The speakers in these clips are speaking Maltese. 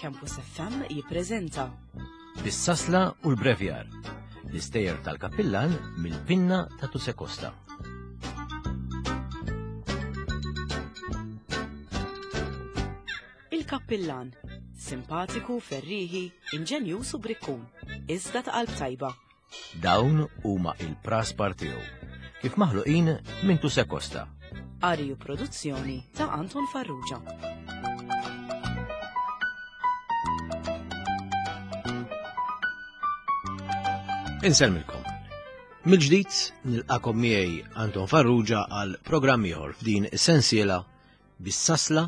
Campus FM jippreżenta Bis-sasla u l-brevjar, l-istejjer tal-kappillan mill-pinna ta' Tuse Costa. Il-Kappillan, simpatiku, ferrieħi, inġenjuż u brikkun, iżda ta' qalb tajba. Dawn huma il-praspar tiegħu, kif maħluqin minn Tuse Costa. Qari u produzzjoni ta' Anton Farrugia. Insellmilkom. Mill-ġdid nilqakom miegħi Anton Farrugia għal programm ieħor f'din is-sensiela bis-sasla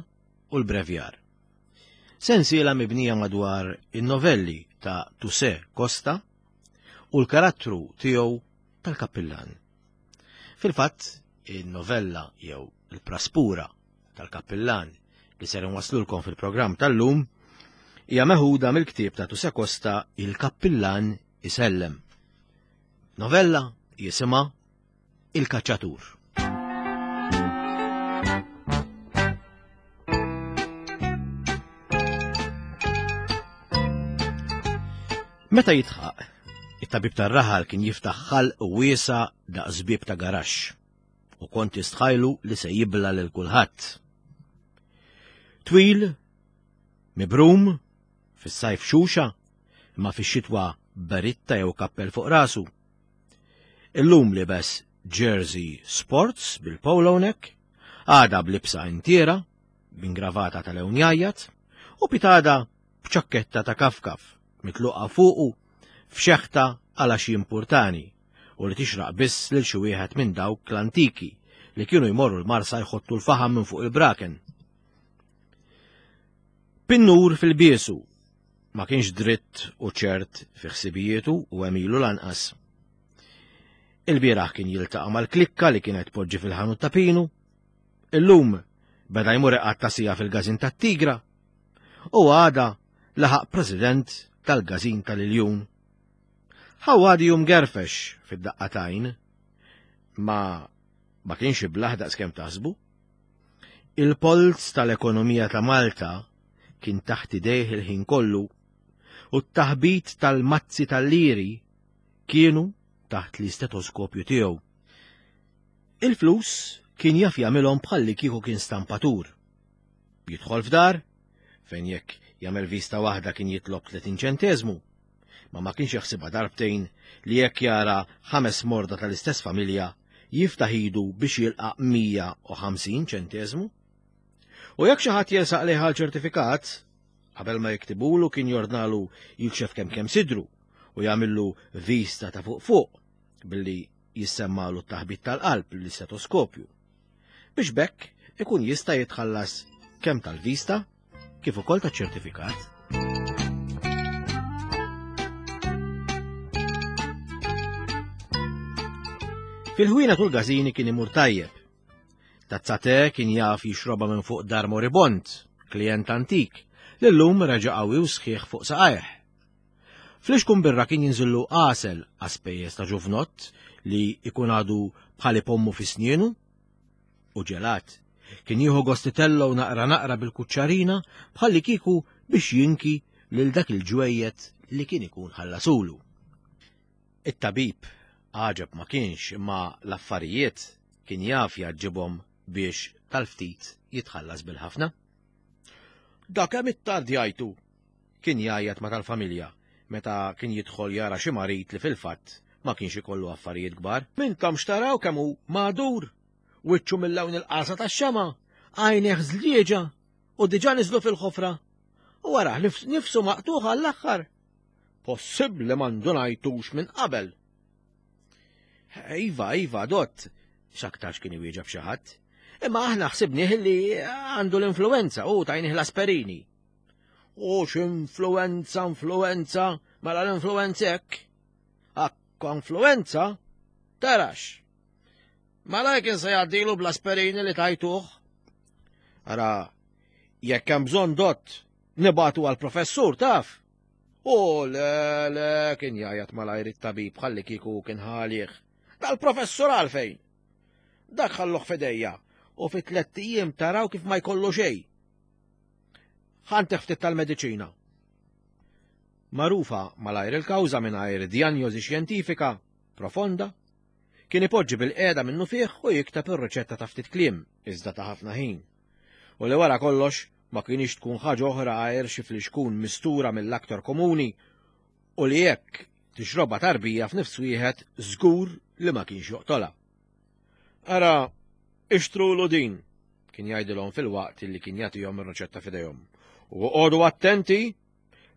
u l-brevjar. Sensiela mibnija madwar in-novelli ta' Tuse Costa u l-karattru tiegħu tal-kappillan. Fil-fatt, in-novella jew il-praspura tal-kappillan li ser inwaslulkom fil-programm tal-lum hija meħuda mill-ktieb ta' Tuse Costa Il-Kappillan Isellem. Novella jisimha Il-Kaċċatur. Meta jitħaq, it-tabib tar-raħal kien jiftaħ ħalq wiesa daqs bieb ta' garaxx u kont jistħajlu li se jibla lil kulħadd. Twil, mibrum, fis-sajf xuxa, imma fix-xitwa beritta jew kappell fuq rasu. Illum libes jersey sports bil-polo neck, għada b'libsa intiera, b'ingravata ta' lewn jgħajjat, u pitada b'ċakketta ta' kafkaf mitluqa fuqu f'xeħta għala xi importani u li tixraq biss lil xi wieħed minn dawk l-antiki li kienu jmorru l-Marsa jħottu l-faħam minn fuq il-braken. Pinnur fil-biesu ma kienx dritt u ċert fi ħsibijietu u għemilu lanqas. Il-bieraħ kien jiltaqa' mal-klikka li kienet poġġi fil-ħanut ta' Pinu. Illum beda jmur iqatta' sija fil-gażin tat-Tigra u għada laħaq president tal-gażin tal-Iljun. Ħawadi jum gerfex fid-daqqatajn, ma ma kienx iblaħ daqskemm taħsbu. Il-polz tal-ekonomija ta' Malta kien taħt idejh il-ħin kollu u t-taħbit tal-mazzi tal-liri kienu taħt l-istetoskopju tiegħu. Il-flus kien jaf jagħmilhom bħalli kieku kien stampatur. Jidħol f'dar, fejn jekk jagħmel vista waħda kien jitlob 30 ċenteżmu, ma ma kienx jaħsibha darbtejn li jekk jara ħames morda tal-istess familja jiftaħ idu biex jilqa' 150 ċenteżmu. U jekk xi ħadd jersaq lejh għal ċertifikat, qabel ma jiktibulu kien jordnalu jikxef kemm kemm sidru u jagħmillu vista ta' fuq fuq billi jissemmalu t-taħbit tal-qalb l-istetoskopju. Biex bekk ikun jista' jitħallas kemm tal-vista kif ukoll taċ-ċertifikat. Fil-ħwienet u l-gażini kien imur tajjeb. Tazza te kien jaf jixrobha minn fuq dar moribond, klijent antik, li llum reġa' qawwi u sħiħ fuq saqajh. Flixkun birra kien jinżillu għasel għaspejjeż ta' ġuvnott li jkun għadu bħal ipommu fi snienu u ġelat. Kien jieħu gost itellgħu naqra naqra bil-kuċċarina bħalli kieku biex jinki lil dak il-ġwejjed li kien ikun ħallasulu. It-tabib għaġeb ma kienx imma l-affarijiet kien jaf jgħaġġibhom biex tal-ftit jitħallas bil-ħafna. Dak hemm it-tardjajtu, Kien jgħajjat ma' tal-familja meta kien jidħol jara xi marid li fil-fatt ma kienx ikollu affarijiet kbar. M'intomx taraw kemm hu magħdur! Wiċċu mil-lewn il-qasa tax-xemgħa, għajnejh żlieġa u diġà niżlu fil-ħofra. U arah nifsu maqtugħ għall-aħħar. Possibbli ma ndunajtux minn qabel. Iva, iva, dott, x'aktarx kien iwieġeb xi ħadd. Imma aħna ħsibnieh li għandu l-influenza u tajnih l-asperini. U x'influenza, influenza, mela l-influenza hekk. Akko influenza, tarax. Mela kien se jgħaddilu bl-asperini li tajtuh. Ara, jekk hemm bżonn dott, nibatu għall-professur taf. U le, le, kien jgħajjat malajr it-tabib ħalli kieku kien ħalih. Dal-professur għalfejn? Dak ħalluh fidejja u fi tlett ijiem taraw kif ma jkollu xejn. Ħantih ftit tal-mediċina. Magħrufa malajr il-kawża mingħajr djanjosi xjentifika profonda, kien ipoġġi bilqiegħda minnufih u jikteb ir-riċetta ta' ftit kliem, iżda ta' ħafna ħin. U li wara kollox ma kinitx tkun ħaġa oħra għajr xi flixkun mistura mill-aktar komuni u li jekk tixrobha tarbija f'nifs wieħed żgur li ma kienx joqtolha. Ara, ixtrulu din, kien jgħidilhom filwaqt li kien jagħtihom ir-riċetta f'idejhom. U oqogħdu attenti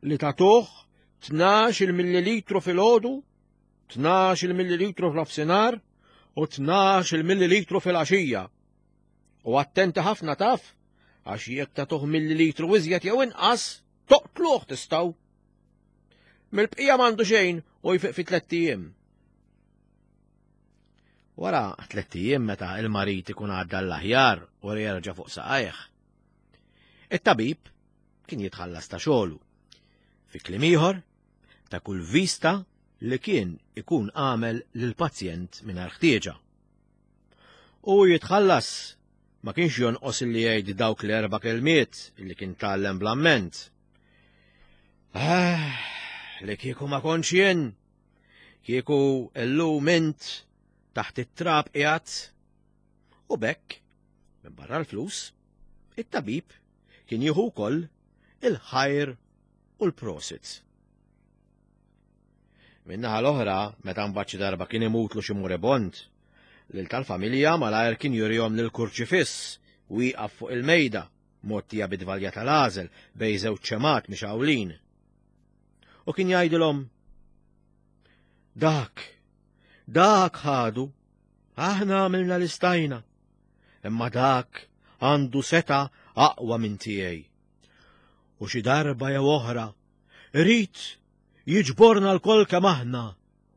li tagħtuh 12 millilitru filgħodu, 12 millilitru f'nofsinhar u 12 millilitru fil-għaxija. U attenti ħafna taf, għax jekk tagħtuh millilitru iżjed jew inqas, toqtluh tistgħu. Mill-bqija m'għandu xejn u jfiq fi tlett ijiem. Wara tlett ijiem meta il-marid ikun għadda l-aħjar u jerġa' fuq saqajh. It-tabib kien jitħallas ta' xogħlu. Fi kliem ieħor, ta' kull vista li kien ikun għamel lill-pazjent mingħajr ħtieġa. U jitħallas ma kienx jonqos li jgħid dawk l-erba' kelmiet li kien tgħallem bl-amment. Ah, li kieku ma kontx jien, kieku illum int taħt it-trab qiegħed. U bekk, minn barra l-flus, it-tabib kien jieħu wkoll il-ħajr u l-prosit. Min-naħa l-oħra, meta mbagħad xi darba kien imutlu xi moribond, lil tal-familja malajr kien jurihom lil kurċifiss wieqaf fuq il-mejda mgħottija bi dvalja tal-għażel bejn żewġ ċemat mixgħulin. U kien jgħidilhom, Dak, dak ħadu, aħna għamilna li stajna, imma dak għandu seta aqwa minn tiegħi. U xi darba jew oħra, irid jiġborna lkoll kemm aħna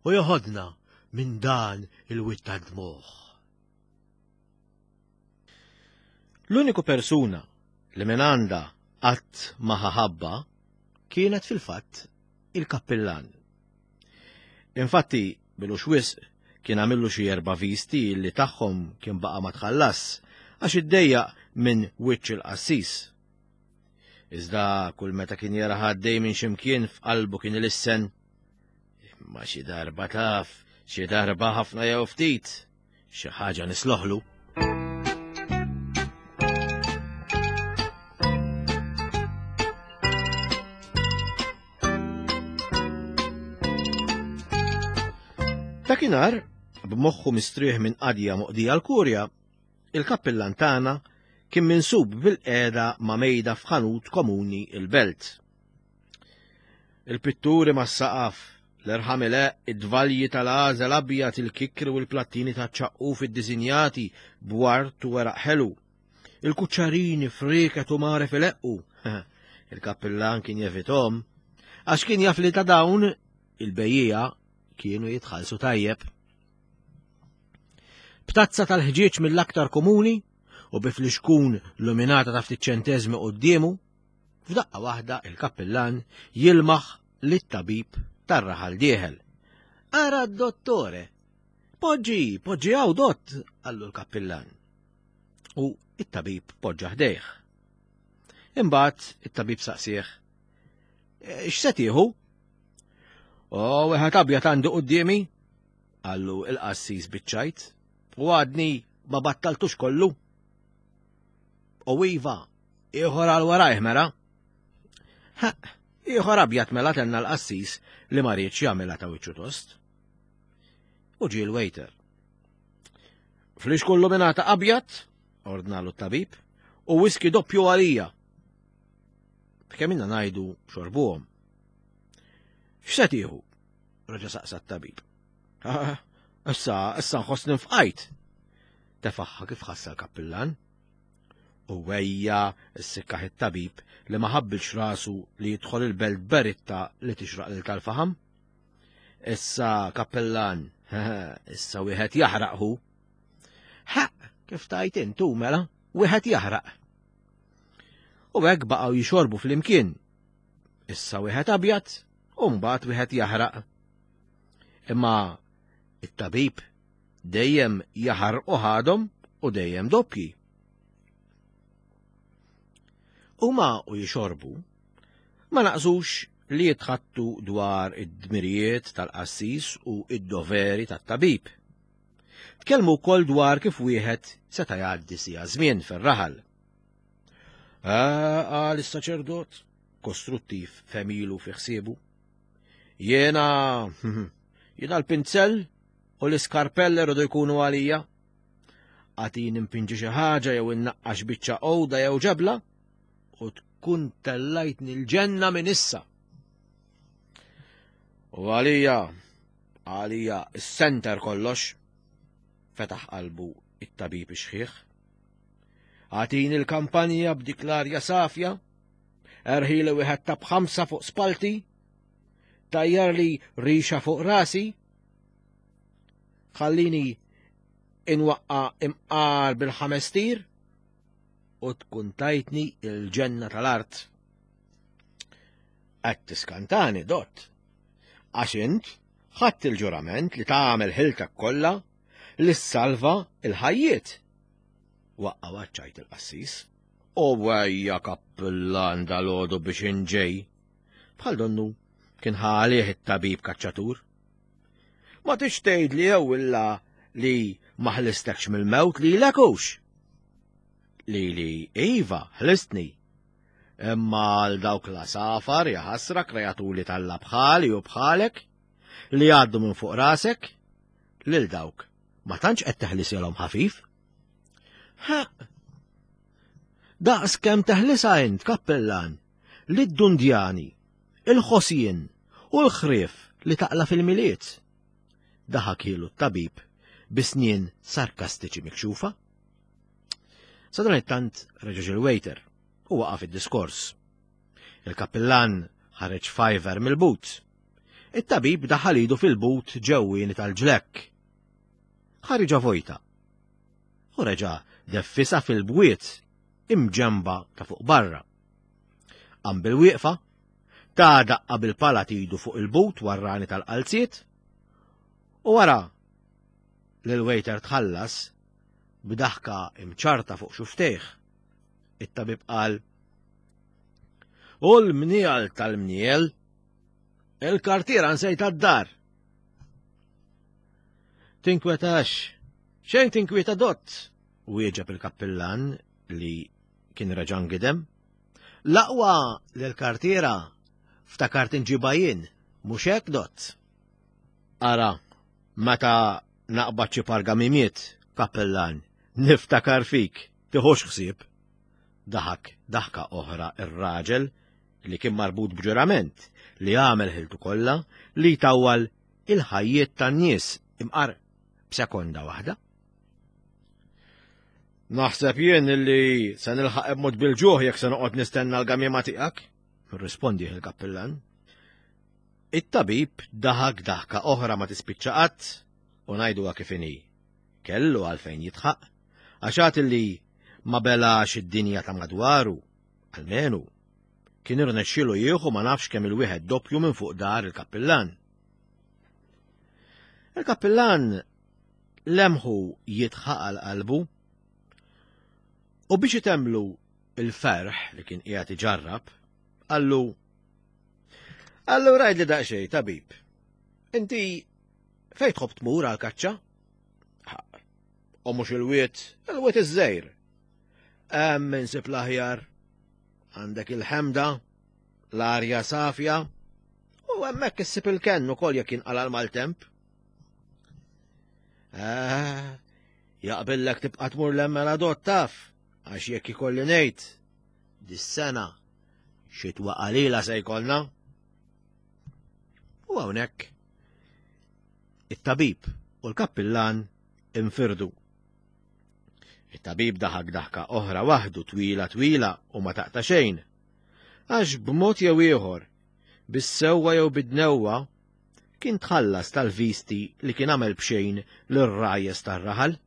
u joħodna minn dan il-wied tad-dmugħ. L-uniku persuna li minn għandha qatt ma ħa ħabba kienet fil-fatt il-kappillan. Infatti, bilux wisq kien għamillu xi erba' visti li tagħhom kien baqa' ma tħallas għax iddejjaq minn wiċċ il-qassis. Iżda kull meta kien jara ħaddej minn ximkien f'qalbu kien ilissen. Imma xi darba taf, xi darba ħafna jew ftit, Xi ħaġa nisloħlu. Dakinhar, b'moħħu mistrieħ minn qadja moqdija l-kurja, il-kappillan tagħna kien minsub bil-qiegħda ma' mejda f'ħanut komuni il-belt. Il-pitturi mas-saqaf, l-irħam ileqq, id-dvalji tal-għażel abjad, il-kikkri u l-plattini taċ-ċaqquf iddisinjati b'ward u weraq ħelu. Il-kuċċarini frieket u mgħaref ileqqu. Il-kappillan kien jevithom għax kien jaf li ta' dawn il-bejjiegħa kienu jitħallsu tajjeb. B'tazza tal-ħġieġ mill-aktar komuni u bi flixkun luminata ta' ftit ċenteżmi quddiemu, F'daqqa waħda il-kappillan jilmaħ lit-tabib tar-raħal dieħel. Ara d-dottore! Poġġi, poġġi hawn dott, qallu l-kappillan. U it-tabib poġġa ħdejh. Imbagħad it-tabib saqsih, e, X'se tieħu? O, wieħed abjad għandi quddiemi, qallu il-qassis biċ-ċajt, u għadni ma battaltux kollu. U iva, Ieħor għal warajh mela. Ha, ieħor abjad mela tenna l-qassis li ma riedx jagħmilha ta' wiċċu tost. U ġie l-waiter. Flix kullu mingħata abjad, ordnalu t-tabib, u whisky doppju għalija. Kemm inna ngħidu xorbuhom. X'se tieħu? Reġa' saqsa t-tabib. Issa, issa nħossni nfqajt. Tefaħħa kif ħassa l-kappillan. U ejja ssikkaħ it-tabib li ma ħabbilx rasu li jidħol il-belt b'beritta li tixraq lil tal-faħam. Issa kappellan, issa wieħed jaħraq hu. Ħaq, kif tajt intu mela, wieħed jaħraq. U hekk baqgħu jixorbu flimkien. Issa wieħed abjad u mbagħad wieħed jaħraq. Imma it-tabib Dejjem jaħarqu ħadhom u dejjem doppji. Huma u jixorbu, ma naqsux li jitħattu dwar id-dmirijiet tal-qassis u id-doveri tat-tabib. Tkellmu wkoll dwar kif wieħed seta' jgħaddi sija żmien fir-raħal. Ah, qal is-saċerdot, kostruttiv femilu fi ħsiebu. Jiena, jiena l-pinzell u l-iskarpell irridu jkunu għalija. Għatin impinġi xi ħaġa jew innaqqax biċċa għoda jew ġebla u tkun tellajtni l-ġenna minn issa. U għalija, għalija s-senter kollox, fetaħ qalbu it-tabib ixħiħ. Għatini l-kampanja b'dik l-arja safja, erħili wieħed ta' b'ħamsa fuq spalti, tajjar li rixa fuq rasi, ħallini inwaqqa imqar bil-ħames tir u tkun tajtni il-ġenna tal-art. Qed tiskantani, dott. Għax int ħadd il-ġurament li tagħmel ħiltek kollha li ssalva il-ħajjiet. Waqqa waċċajt il-qassis. U wejja kappillan dal-għodu biex inġej. Bħal donnu kien ħalih it-tabib kaċċatur. Ma tix tgħid li jew illa li ma ħlistekx mill-mewt li hux. Li li iva ħlistni. Imma għal dawk la safar jaħasra krejaturi tal bħali u bħalek li għaddu minn fuq rasek lil dawk ma tantx qed teħlisilhom ħafif. Ha! Daqs kemm teħlisa int, kappellan, lid-dundjani, il-ħosien u l-ħrief li taqla fil-miliet. Daħak ilu t-tabib bi snien sarkastiċi mikxufa. Sadanittant reġa' il-waiter u waqaf id-diskors. Il-kappillan ħareġ fiver mill-but. It-tabib daħal idu fil-but ġewwieni tal-ġlekk. Ħariġa vojta. U reġa' deffisa fil-bwiet imġemba ta' fuq barra. Qam bil-wieqfa, ta' daqqa bil-pala tidu fuq il-but warrani tal-qalziet, u wara li l-waiter tħallas b'daħka imċarta fuq xuftejh. It-tabib qal, U l-mniel tal-mniel, il-kartiera nsejta d-dar. Tinkwetax, xejn tinkwieta dott, wieġeb il-kappillan li kien reġa' ngidem. L-aqwa li l-kartiera ftakart inġibha jien, mhux hekk dott. Ara, meta naqbad xi pargamimiet, kappillan, niftakar fik, tiħux ħsieb. Daħak daħka oħra ir-raġel li kien marbut b'ġurament li għamel ħiltu kollha li jtawwal il-ħajjiet tan-nies imqar b'sekonda waħda. Naħseb jien li se nilħaq b'mod bil-ġuħ jekk se noqgħod nistenna l-gamiema tiegħek, irrispondi il-kappillan. It-tabib daħak daħka oħra ma tispiċċa qatt u ngħiduha kif inhi. Kellu għalfejn jitħaq, għax għad li ma belax id-dinja ta' madwaru, almenu, kien irnexxielu jieħu ma nafx kemm il-wieħed doppju minn fuq dar il-kappillan. Il-kappillan lemħu jitħaq għal qalbu u biex itemlu il-ferħ li kien qiegħed iġarrab, qallu Allura għidli daqsxejn, tabib. Inti fejn tħobb tmur għal kaċċa? U mhux il-wiet, il-wiet iż-żejr. Hemm insib l-aħjar. Għandek il-ħemda, l-arja safja, u hemmhekk issib il-kenn ukoll jekk jinqala l-maltemp. Eh, jaqbillek tibqa' tmur l-emmela dott taf, għax jekk ikolli ngħid, dis-sena xitwa qalila se jkollna. U hawnhekk it-tabib u l-kappillan infirdu. It-tabib daħak daħka oħra waħdu twila twila u ma taqta' xejn. Għax b'mod jew ieħor, bis-sewwa jew bid-dnewwa, kien tħallas tal-visti li kien għamel b'xejn lir-rajjes tar-raħal.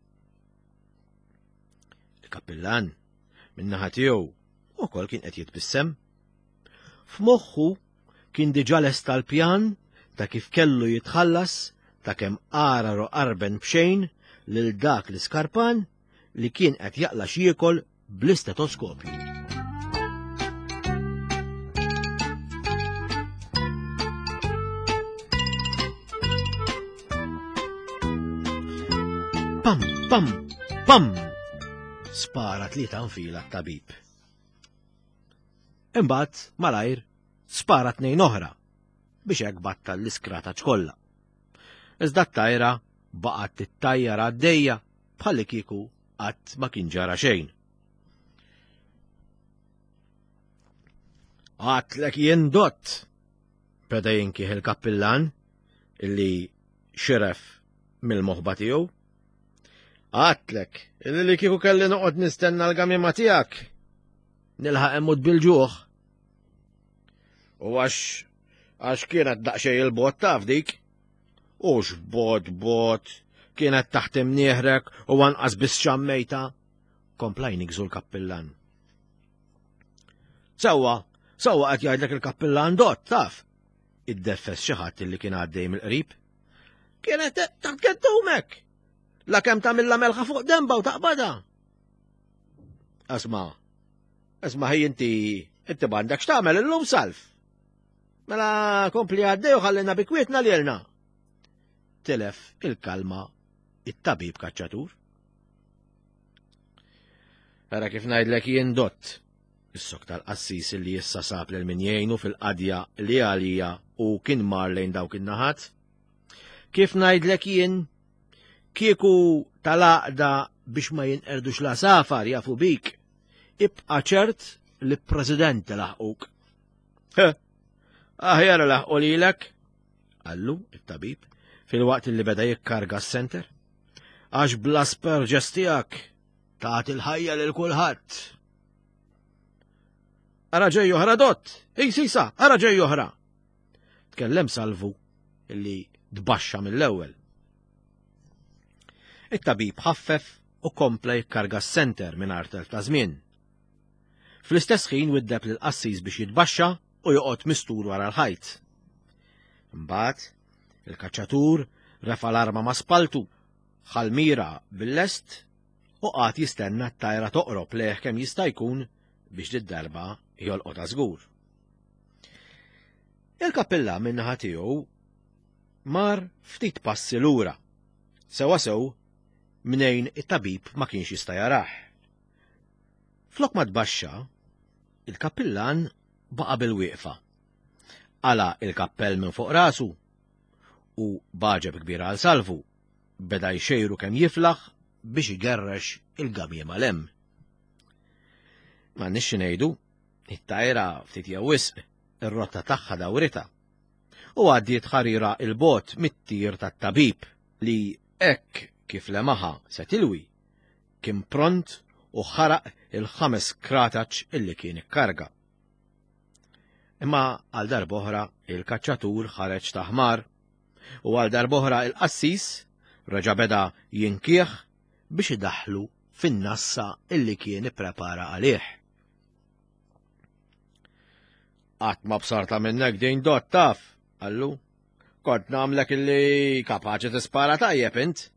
Il-kappillan, min-naħa tiegħu, ukoll kien qed jitbissem. F'moħħu kien diġà lesta l-pjan ta' kif kellu jitħallas ta' kemm għarar u qarben b'xejn lil dak l-iskarpan li kien qed jaqla' x'jiekol bl-istetoskopju. Pam, pam, pam! Spara tlieta nfila t-tabib. Imbagħad malajr spara tnejn oħra biex hekk battal l-iskrata kollha. Iżda t-tajra baqgħet tittajjar għaddejja bħalli kieku qatt ma kien ġara xejn. Għatlek jien dott, beda jinkih il-kappillan illi xiref mill-moħba tiegħu. Għatlek illi li kieku kelli noqgħod nistenna l-gamima tiegħek nilħaq immut bil-ġuħ. U għax għax kienet daqsxejn il-bot taf dik. U x'bot bot kienet taħt imnieħrek u anqas biss xammejta. Kompla jnigżu l-kappillan. Sewwa, sewwa qed jgħidlek il-kappillan dott, taf. Iddeffes xi ħadd li kien għaddej mill-qrib. Kienet taħt geddumek. La kemm tagħmilha melħa fuq demba u taqbada. Asma, asma ħej inti inti m'għandek x'tagħmel illum salf. Mela kompli għaddej u ħallina bi kwietna lilna. Tilef il-kalma it-tabib kaċċatur. Ara kif ngħidlek jien dott. Is-sok tal-qassis li issa sab lil min jgħinu fil-qadja li għalija u kien mar lejn dawk in-naħat. Kif ngħidlek jien, kieku tal-għaqda biex ma jinqerdux la safar jafu bik, ibqa' ċert li president laħquk. Aħjar laħqu lilek, qallu it-tabib filwaqt li beda jikkarga s-senter. Għax bla sperġes tiegħek tagħti l-ħajja lil kulħadd. Ara ġej oħra dott! Ej sisa, ara ġej oħra! Tkellem Salvu illi tbaxxa mill-ewwel. It-tabib ħaffef u kompla jikkarga s-senter mingħajr telf ta' żmien. Fl-istess ħin widdeb lil qassis biex jitbaxxa u joqgħod mistur wara l-ħajt. Imbagħad, il-kaċċatur refa' l-arma ma' spaltu, ħal mira bil-lest u qagħad jistenna t-tajra toqrob lejh kemm jista' jkun biex did-darba jolqotha żgur. Il-kappilla min-naħa tiegħu mar ftit passi lura, sewwasew mnejn it-tabib ma kienx jista' jarah. Flok ma tbaxxa, il-kappillan baqa' bil-wieqfa. Qala' il-kappell minn fuq rasu u b'għaġeb kbir għal Salvu, beda jxejru kemm jiflaħ biex igerrex il-gamiema 'l hemm. M'għandniex xi ngħidu, it-tajra ftit jew wisq ir-rotta tagħha dawritha u għaddiet ħarira 'l bogħod mit-tir tat-tabib li hekk kif lemaħha se tilwi, kien pront u ħaraq il-ħames krataċ illi kien ikkarga. Imma għal darb'oħra il-kaċċatur ħareġ ta' ħmar u għal darb'oħra il-qassis reġa' beda jinkieħ biex idaħħlu fin-nassa illi kien ipprepara għalih. Qatt ma bsarta minnek din dott taf, qallu. Kont nagħmlek illi kapaċi tispara tajjeb int.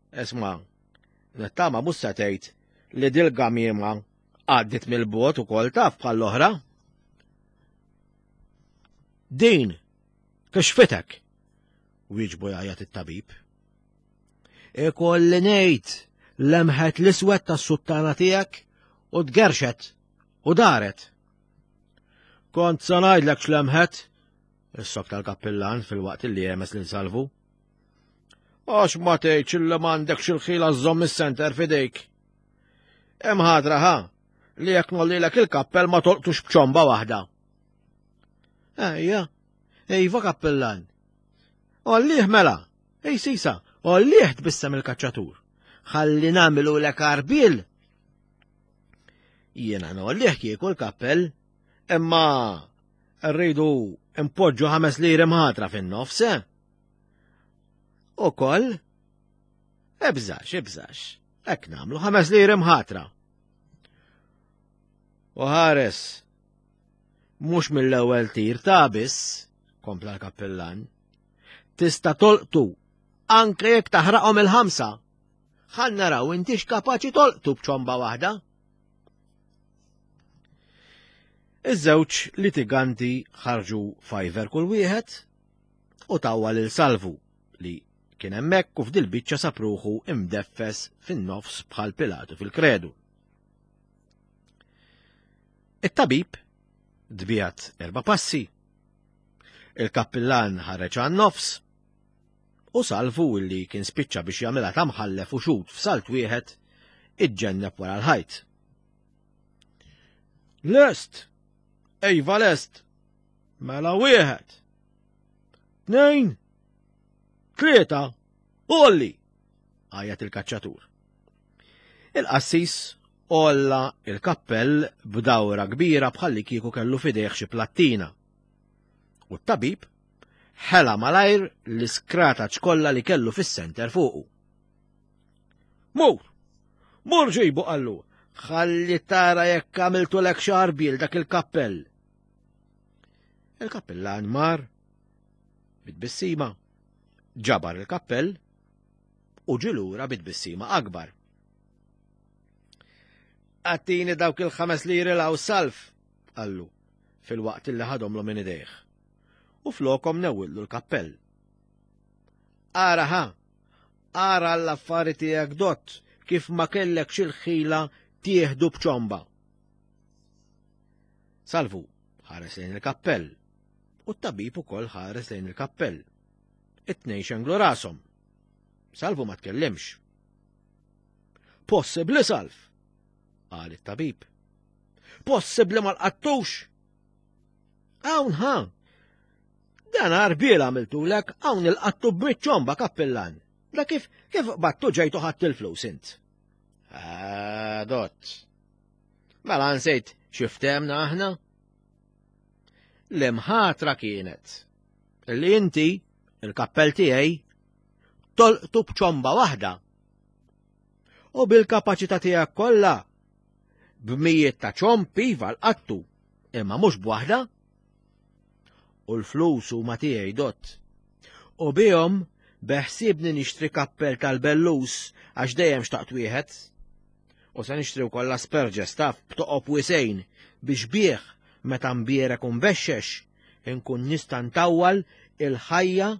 Isma', nittama mhux se tgħid li dil-gamiema għaddit mill-bogħod ukoll taf bħall-oħra. Din kixfitek, wieġbu jgħajjat it-tabib. Ikolli ngħid lemħet l-iswed tas-suttana tiegħek u tgerxet u daret. Kont se ngħidlek x'lemħet, is-sok tal-kappillan fil-waqt li jemes lil Salvu. Għax ma tgħidx illi m'għandekx il-ħila żżomm is-senter f'idejk. Hemm ħadra ħa li jekk nollilek il-kappell ma tolqtux b'ċomba waħda. Ejja, iva kappillan. Ollih mela, ej sisa, ollih tbissem il-kaċċatur. Ħalli nagħmlu lek arbil. Jiena nollih kieku l-kappell, imma rridu impoġġu ħames liri mħatra fin-nofs, eh? Ukoll, ebżax, ebżax, hekk nagħmlu ħames liri mħatra. U ħares, mhux mill-ewwel tir ta' biss, kompla l-kappillan. Tista' tolqtu anke jekk taħraqhom il-ħamsa. Ħa naraw intix kapaċi tolqtu b'ċomba waħda. Iż-żewġ litiganti ħarġu fajver kull wieħed u tawwa lil Salvu li kien hemmhekk u f'dil-biċċa sab ruħu imdeffes fin-nofs bħal Pilatu fil-kredu. It-tabib dbiegħed erba' passi. Il-kappillan ħareġ għan-nofs u Salvu illi kien spiċċa biex jagħmilha ta' mħallef u xhud f'salt wieħed iġġenneb wara l-ħajt. Lest! Ejva lest! Mela wieħed! Tnejn! Tlieta! Olli! Għajat il-kaċċatur. Il-qassis għolla il-kappell b'dawra kbira bħalli kieku kellu fidejh xi plattina. U t-tabib ħela malajr l-iskrata ċkolla li kellu fis-senter fuqu. Mur! Mur ġibu qallu! Ħalli tara jekk għamiltu lek xarbil dak il-kappell. Il-kappellan mar bit-tbissima, ġabar il-kappell u ġilura bit-tbissima akbar. Għattini dawk il-ħames liri law salf, qallu, fil-waqt li ħadhomlu minn idejh. U flokom newwillu l-kappell. Ara ħa, ara l-affari tiegħek dott kif ma kellekx il-ħila tieħdu b'ċomba. Salvu ħares lejn il-kappell u t-tabib ukoll ħares lejn il-kappell. It-tnejn xenglu rashom. Salvu ma tkellimx. Possibbli Salv, qal it-tabib. Possibbli ma lqattux? Hawn ħa. Dan għarbiel għamiltulek hawn il-qattu b'miċċomba kappillan. Da kif kif battu ġejtu ħadd il-flus int? Ah, dott. Mela nsejt xiftemna aħna? L-imħatra kienet li inti, il-kappell tiegħi, tolqtu b'ċomba waħda. U bil-kapaċità tiegħek kollha b'mijiet ta' ċomb iva l-qattu, imma mhux b'waħda. U l-flus huma tiegħi dott. U bihom beħsiebni nixtri kappell tal-bellus għax dejjem xtaqt wieħed. U se nixtri wkoll asperġes taf b'toqob wisejn biex bih meta mbierek u nbexxex inkun nista' ntawwal il-ħajja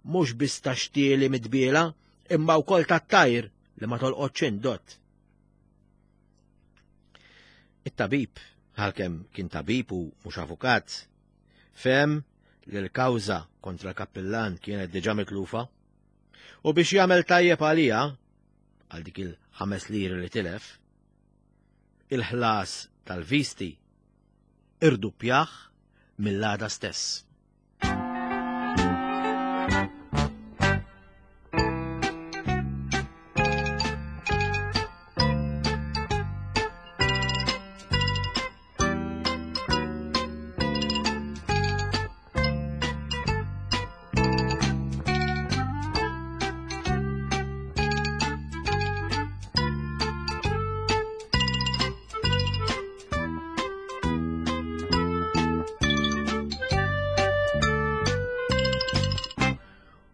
mhux biss ta' xtieli mitbiela imma wkoll tat-tajr li ma tolqotx int dott. It-tabib, għalkemm kien tabib u mhux avukat, fehem li l-kawża kontra l-kappillan kienet diġà mitlufa u biex jagħmel tajjeb għaliha għal dik il-ħames liri li tilef, il-ħlas tal-visti irduppjah mill-għada stess.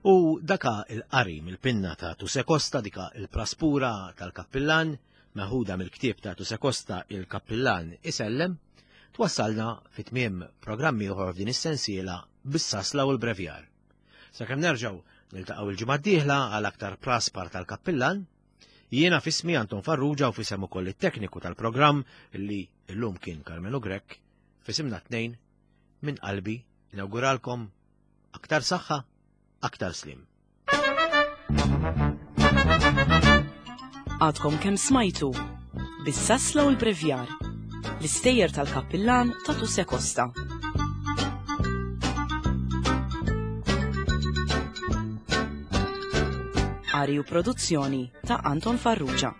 U daka il-qari mill-pinna ta' Tuse Costa, dika il-praspura tal-kappillan, meħuda mill-ktieb ta' Tuse Costa il-kappillan isellem, twassalna fit tmiem programm ieħor f'din is-sensiela bis-sasla u l-brevjar. Sakemm nerġgħu niltaqgħu il-ġimgħa d-dieħla għal aktar praspar tal-kappillan, Jiena f'ismi Anton Farrugia u f'isem ukoll it-tekniku tal-programm li llum kien Karmenu Grech, f'isimna tnejn minn qalbi nawguralkom aktar saħħa, aktar slim. Għadkom kemm smajtu bis-sasla u l-brevjar l-istejjer tal-kappillan ta' Tuse Costa. Qari u produzzjoni ta' Anton Farrugia.